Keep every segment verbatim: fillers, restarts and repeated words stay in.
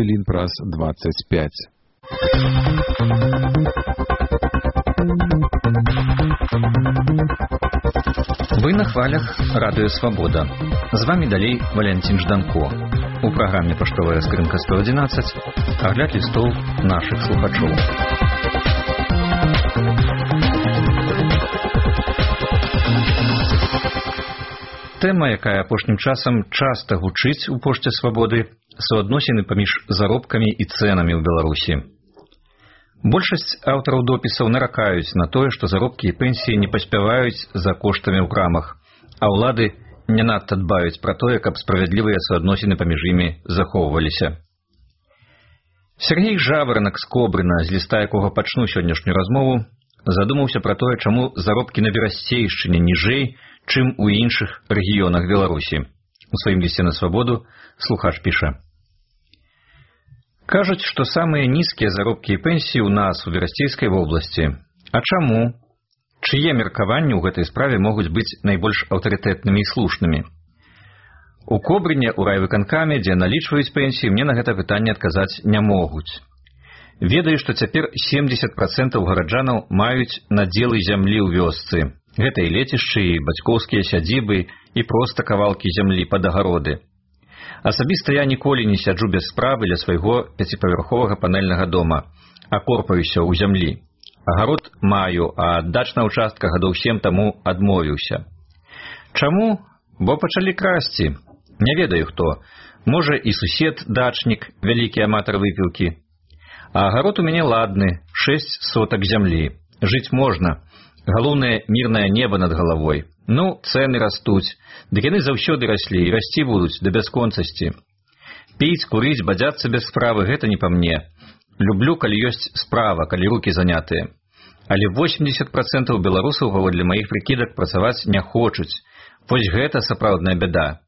Лін праз двадцать пять. Вы на хвалях Радио Свобода. З вами далей Валентин Жданко. У праграме «Паштовая скрынка сто одиннадцать» агляд лістоў нашых слухачоў. Тэма, якая апошнім часам часта гучыць у пошце свабоды, суадносіны паміж заробкамі і цэнамі ў Беларусі. Большасць аўтараў допісаў наракаюць на тое, што заробкі і пенсіі не паспяваюць за коштамі ў крамах, а ўлады не надта дбаюць пра тое, каб справядлівыя суадносіны паміж імі захоўваліся. Сергей Жаворонок з Кобрына, з ліста якога пачну сённяшнюю размову, задумаўся пра тое, чаму заробкі на Берасцейшчыне ніжэй, чым у іншых рэгіёнах Беларусі. У сваім лісце на свабоду слухач піша: кажуць, што самыя нізкія заробкі і пенсіі ў нас у Берасцейскай вобласці. А чаму? Чые меркаванні ў гэтай справе могуць быць найбольш аўтарытэтнымі і слушнымі? У Кобрыне, у райвыканкаме, дзе налічваюць пенсіі, мне на гэта пытанне адказаць не могуць. Ведаю, што цяпер семдзесят працэнтаў гараджанаў маюць надзелы зямлі ў вёсцы. Гэта і лецішчы, і бацькоўскія сядзібы, і проста кавалкі зямлі пад агароды. Асабіста я ніколі не сяджу без справы ля свайго пяціпавярховага панэльнага дома, а корпаюся ў зямлі. Агарод маю, а аддач на ўчастка гадоў сем таму адмовіўся. Чаму? Бо пачалі красці. Не ведаю хто. Можа, і сусед дачнік, вялікі аматар выпіўкі. А агарод у мяне ладны, шэсць сотак зямлі. Жыць можна. Галоўнае мірнае неба над галавой. Ну, цэны растуць. Дык яны заўсёды раслі і расці будуць да бясконцасці. Піць, курыць, бадзяцца без справы — гэта не па мне. Люблю, калі ёсць справа, калі рукі занятыя. Але восемьдесят працэнтаў беларусаў, паводле маіх прыкідак, працаваць не хочуць. Вось гэта сапраўдная бяда.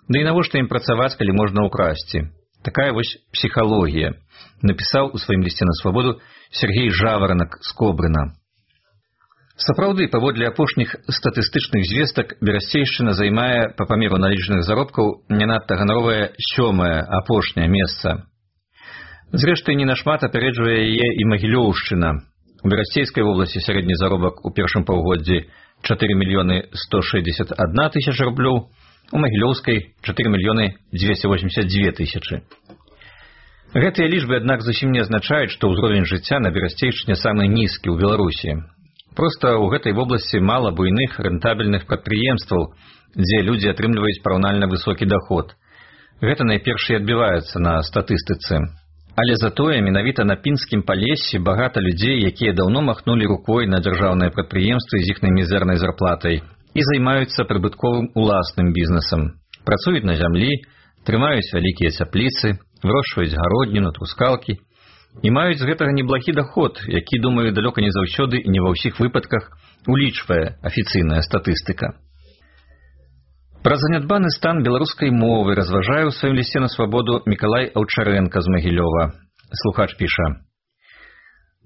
Да і навошта ім працаваць, калі можна ўкрасці? Такая вось псіхалогія, напісаў у сваім лісце на свабоду Сергей Жаворонок з Кобрына. Сапраўды, паводле апошніх статыстычных звестак, Берасцейшчына займае па памеру налічных заробкаў не надта ганаровае сёмае, апошняе месца. Зрэшты, не нашмат апярэджвае яе і Магілёўшчына. У Берасцейскай вобласці сярэдні заробак у першым паўгоддзі чатыры мільёны сто шэсцьдзесят адна тысяча рублёў, у Магілёўскай чатыры мільёны дзвесце восемьдзесят дзве тысячы. Гэтыя лічбы, аднак, зусім не азначаюць, што ўзровень жыцця на Берасцейшчыне самы нізкі ў Беларусі. Проста ў гэтай вобласці мала буйных рэнтабельных прадпрыемстваў, дзе людзі атрымліваюць параўнальна высокі даход. Гэта найперш і адбіваецца на статыстыцы. Але затое менавіта на пінскім палессі багата людзей, якія даўно махнулі рукой на дзяржаўныя прадпрыемствы з іхнай мізэрнай зарплатай і займаюцца прыбытковым уласным бізнесам. Працуюць на зямлі, трымаюць вялікія цяпліцы, вырошчваюць гародніну, трускалкі і маюць з гэтага неблагі даход, які, думаю, далёка не заўсёды і не ва ўсіх выпадках улічвае афіцыйная статыстыка. Пра занядбаны стан беларускай мовы разважае ў сваім лісце на свабоду Мікалай Аўчарэнка з Магілёва. Слухач піша: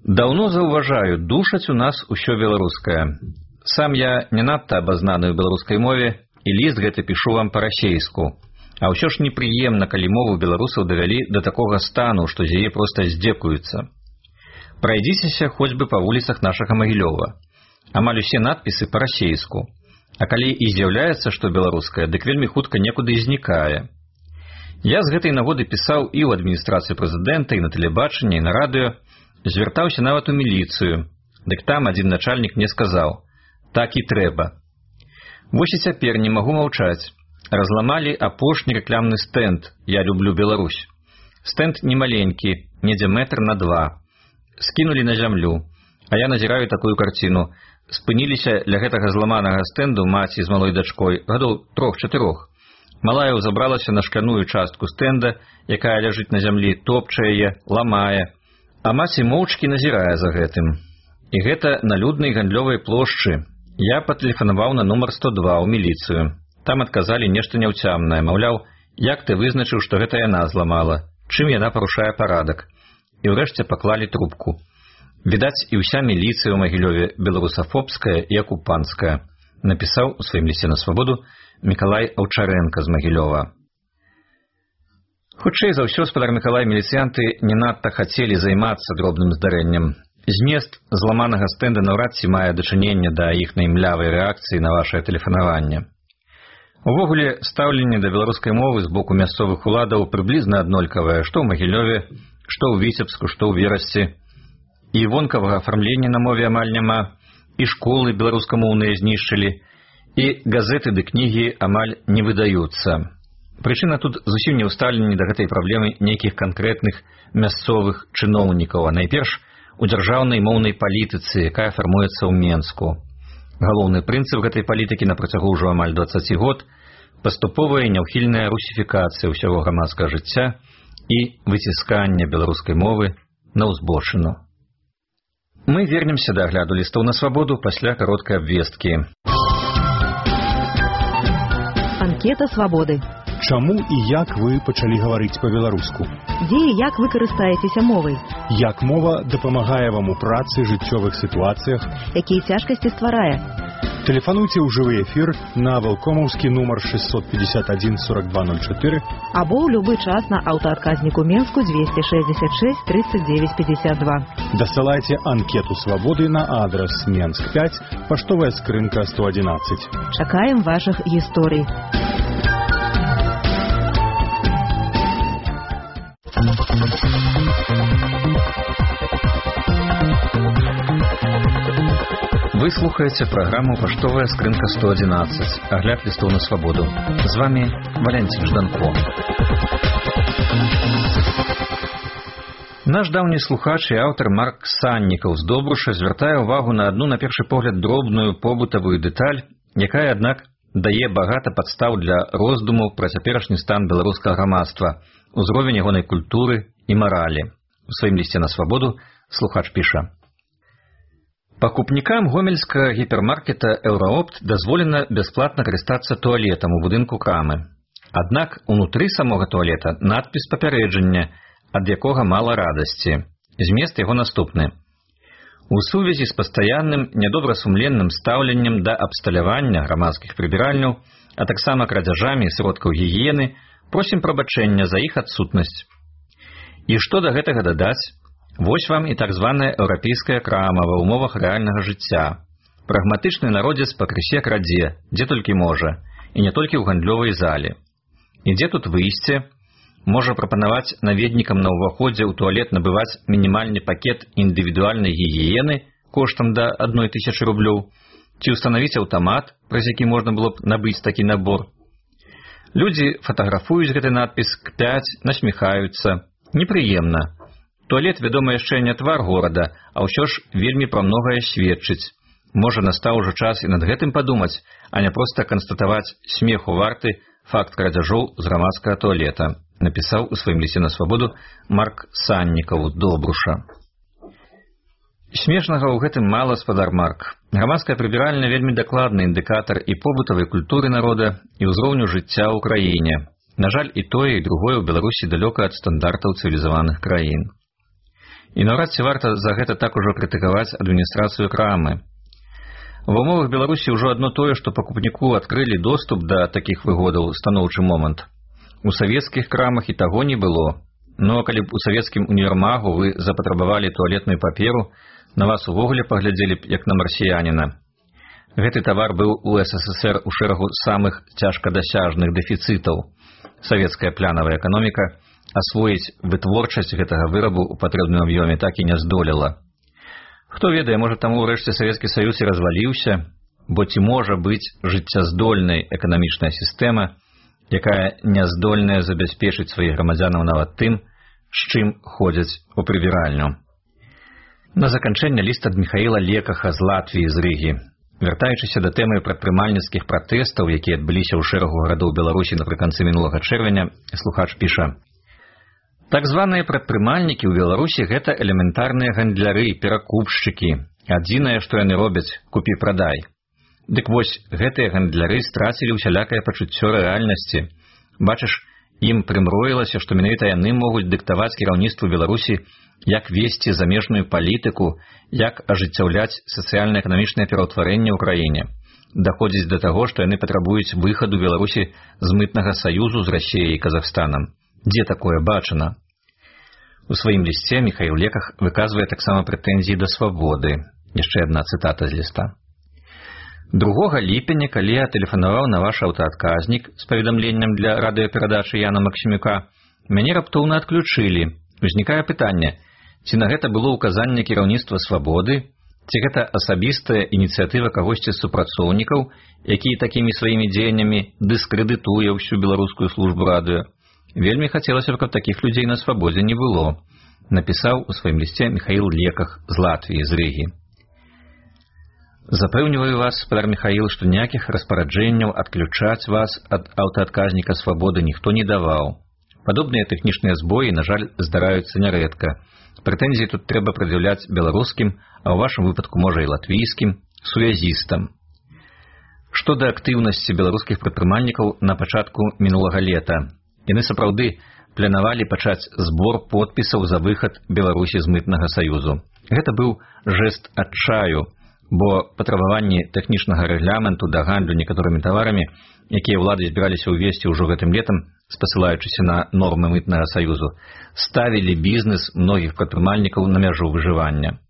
даўно заўважаю, душаць у нас усё беларускае. Сам я не надта абазнаны ў беларускай мове, і ліст гэты пішу вам па-расейску. А ўсё ж непрыемна, калі мову беларусаў давялі да такога стану, што з яе проста здзекуюцца. Прайдзіцеся хоць бы па вуліцах нашага Магілёва. Амаль усе надпісы па-расейску. А калі і з'яўляецца, што беларускае, дык вельмі хутка некуды знікае. Я з гэтай нагоды пісаў і ў адміністрацыю прэзідэнта, і на тэлебачанні, і на радыё, звяртаўся нават у міліцыю. Дык там адзін начальнік мне сказаў: так і трэба. Вось і цяпер не магу маўчаць. Разламалі апошні рэкламны стэнд «Я люблю Беларусь». Стэнд немаленькі, недзе метр на два. Скінулі на зямлю. А я назіраю такую карціну. Спыніліся ля гэтага зламанага стэнду маці з малой дачкой, гадоў трох-чатырох. Малая ўзабралася на шкляную частку стэнда, якая ляжыць на зямлі, топча яе, ламае. А маці моўчкі назірае за гэтым. І гэта на люднай гандлёвай плошчы. Я патэлефанаваў на нумар сто два ў міліцыю. Там адказалі нешта няўцямнае, маўляў, як ты вызначыў, што гэта яна зламала, чым яна парушае парадак. І ўрэшце паклалі трубку. Відаць, і ўся міліцыя ў Магілёве беларусафобская і акупанцкая, напісаў у сваім лісце на свабоду Мікалай Аўчарэнка з Магілёва. Хутчэй за ўсё, спадар Мікалай, міліцыянты не надта хацелі займацца дробным здарэннем. Змест зламанага стэнда наўрад ці мае дачыненне да іхнай млявай рэакцыі на вашае тэлефанаванне. Увогуле, стаўленне да беларускай мовы з боку мясцовых уладаў прыблізна аднолькавае, што ў Магілёве, што ў Віцебску, што ў Верасці. І вонкавага афармлення на мове амаль няма, і школы беларускамоўныя знішчылі, і газеты ды кнігі амаль не выдаюцца. Прычына тут зусім не ў стаўленні да гэтай праблемы нейкіх канкрэтных мясцовых чыноўнікаў, а найперш у дзяржаўнай моўнай палітыцы, якая фармуецца ў Менску. Галоўны прынцып гэтай палітыкі на працягу ўжо амаль дваццаць год – паступовая і няўхільная русіфікацыя ўсяго грамадскага жыцця і выцісканне беларускай мовы на ўзбочыну. Мы вернемся да агляду лістоў на свабоду пасля кароткай абвесткі. Анкета свабоды. Чаму і як вы пачалі гаварыць па-беларуску? Дзе і як вы карыстаецеся мовай? Як мова дапамагае вам у працы, жыццёвых сітуацыях? Якія цяжкасці стварае? Тэлефануйце ў жывы эфір на валкомаўскі нумар шестьсот пятьдесят один сорок два ноль четыре або ў любы час на аўтаадказніку Менску двести шестьдесят шесть тридцать девять пятьдесят два. Дасылайце анкету свабоды на адрас Менск пять, паштовая скрынка сто одиннадцать. Чакаем вашых гісторый. Вы слухаете программу «Паштовая скрынка сто одиннадцать». Огляд листов на свободу. С вами Валентин Жданко. Наш даўні слухач і аўтар Марк Саннікаў з Добруша звяртае ўвагу на адну, на першы погляд, дробную побытавую дэталь, якая, аднак, дае багата падстаў для роздумаў пра цяперашні стан беларускага грамадства, узровень ягонай культуры і маралі. У сваім лісце на свабоду слухач піша: пакупнікам гомельскага гіпермаркета «Еўраопт» дазволена бясплатна карыстацца туалетам у будынку крамы. Аднак унутры самога туалета надпіс папярэджання, ад якога мала радасці. Змест яго наступны. У сувязі з пастаянным нядобрасумленным стаўленнем да абсталявання грамадскіх прыбіральняў, а таксама крадзяжамі сродкаў гігіены, просім прабачэння за іх адсутнасць. І што да гэтага дадаць? Вось вам і так званая еўрапейская крама ва ўмовах рэальнага жыцця. Прагматычны народзец пакрысе крадзе, дзе толькі можа, і не толькі ў гандлёвай зале. І дзе тут выйсце? Можа прапанаваць наведнікам на ўваходзе ў туалет набываць мінімальны пакет індывідуальнай гігіены коштам да адной тысячы рублёў, ці ўстанавіць аўтамат, праз які можна было б набыць такі набор. Людзі фатаграфуюць гэты надпіс, кпяць, насміхаюцца. Непрыемна. Туалет, вядома, яшчэ не твар горада, а ўсё ж вельмі пра многае сведчыць. Можа, настаў ужо час і над гэтым падумаць, а не проста канстатаваць смеху варты факт крадзяжоў з грамадскага туалета, напісаў у сваім лісце на свабоду Марк Саннікаў Добруша. Смешнага ў гэтым мала, спадар Марк. Грамадская прыбіральня вельмі дакладны індыкатар і побытавай культуры народа, і ўзроўню жыцця ў краіне. На жаль, і тое, і другое ў Беларусі далёка ад стандартаў цывілізаваных краін. І наўрад ці варта за гэта так ужо крытыкаваць адміністрацыю крамы. Ва ўмовах Беларусі ўжо адно тое, што пакупніку адкрылі доступ да такіх выгодаў, станоўчы момант. У савецкіх крамах і таго не было. Ну, а калі б у савецкім універмагу вы запатрабавалі туалетную паперу, на вас увогуле паглядзелі б як на марсіяніна. Гэты тавар быў у эс эс эс эр у шэрагу самых цяжкадасяжных дэфіцытаў. Савецкая плянавая эканоміка асвоіць вытворчасць гэтага вырабу ў патрэбным аб'ёме так і не здолела. Хто ведае, можа, таму ўрэшце Савецкі Саюз і разваліўся, бо ці можа быць жыццяздольнай эканамічная сістэма, якая не здольная забяспечыць сваіх грамадзянаў нават тым, з чым ходзяць у прыбіральню. На заканчэнне ліст ад Міхаіла Лекаха з Латвіі з Рыгі. Вяртаючыся да тэмы прадпрымальніцкіх пратэстаў, якія адбыліся ў шэрагу гарадоў Беларусі напрыканцы мінулага чэрвеня, слухач піша: так званыя прадпрымальнікі ў Беларусі — гэта элементарныя гандляры, перакупшчыкі. Адзінае, што яны робяць — купі-прадай. Дык вось, гэтыя гандляры страцілі ўсялякае пачуццё рэальнасці. Бачыш, ім прымроілася, што менавіта яны могуць дыктаваць кіраўніцтву Беларусі, як весці замежную палітыку, як ажыццяўляць сацыяльна-эканамічнае пераўтварэнне ў краіне. Даходзіць да таго, што яны патрабуюць выхаду Беларусі з мытнага саюзу з Расіяй і Казахстанам. Дзе такое бачана? У сваім лісце Міхаіл Леках выказвае таксама прэтэнзіі да свабоды. Яшчэ адна цытата з ліста. другога ліпеня, калі я тэлефанаваў на ваш аўтаадказнік з паведамленнем для радыёперадачы Яна Максімюка, мяне раптоўна адключылі. Узнікае пытанне, ці на гэта было ўказанне кіраўніцтва свабоды, ці гэта асабістая ініцыятыва кагосьці з супрацоўнікаў, які такімі сваімі дзеяннямі дыскрэдытуе ўсю беларускую службу радыё. Вельмі хацелася б, каб такіх людзей на свабодзе не было, напісаў у сваім лісце Міхаіл Леках з Латвіі, з Рыгі. Запэўніваю вас, спадар Міхаіл, што ніякіх распараджэнняў адключаць вас ад аўтаадказніка свабоды ніхто не даваў. Падобныя тэхнічныя збоі, на жаль, здараюцца нярэдка. Прэтэнзіі тут трэба прад'яўляць беларускім, а ў вашым выпадку, можа, і латвійскім, сувязістам. Што да актыўнасці беларускіх прадпрымальнікаў на пачатку мінулага лета. Яны сапраўды планавалі пачаць збор подпісаў за выхад Беларусі з мытнага саюзу. Гэта быў жэст адчаю, бо патрабаванні тэхнічнага рэгламенту да гандлю некаторымі таварамі, якія ўлады збіраліся ўвесці ўжо гэтым летам, спасылаючыся на нормы мытнага саюзу, ставілі бізнес многіх прадпрымальнікаў на мяжу выжывання.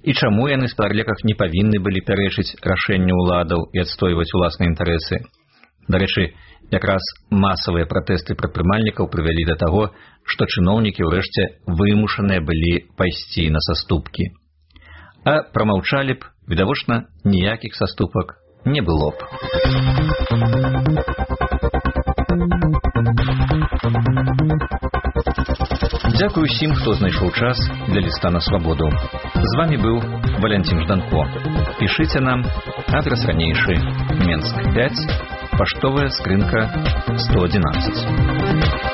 І чаму яны, спадар Леках, не павінны былі пярэчыць рашэнню ўладаў і адстойваць уласныя інтарэсы? Дарэчы, якраз масавыя пратэсты прадпрымальнікаў прывялі да таго, што чыноўнікі ўрэшце вымушаныя былі пайсці на саступкі. А прамаўчалі б, відавочна, ніякіх саступак не было б. Дзякую усім, хто знайшоў час для ліста на свабоду. З вамі быў Валянцін Жданко. Пішыце нам, адрес ранейшы, Менск пяць, паштовая скрынка сто адзінаццаць.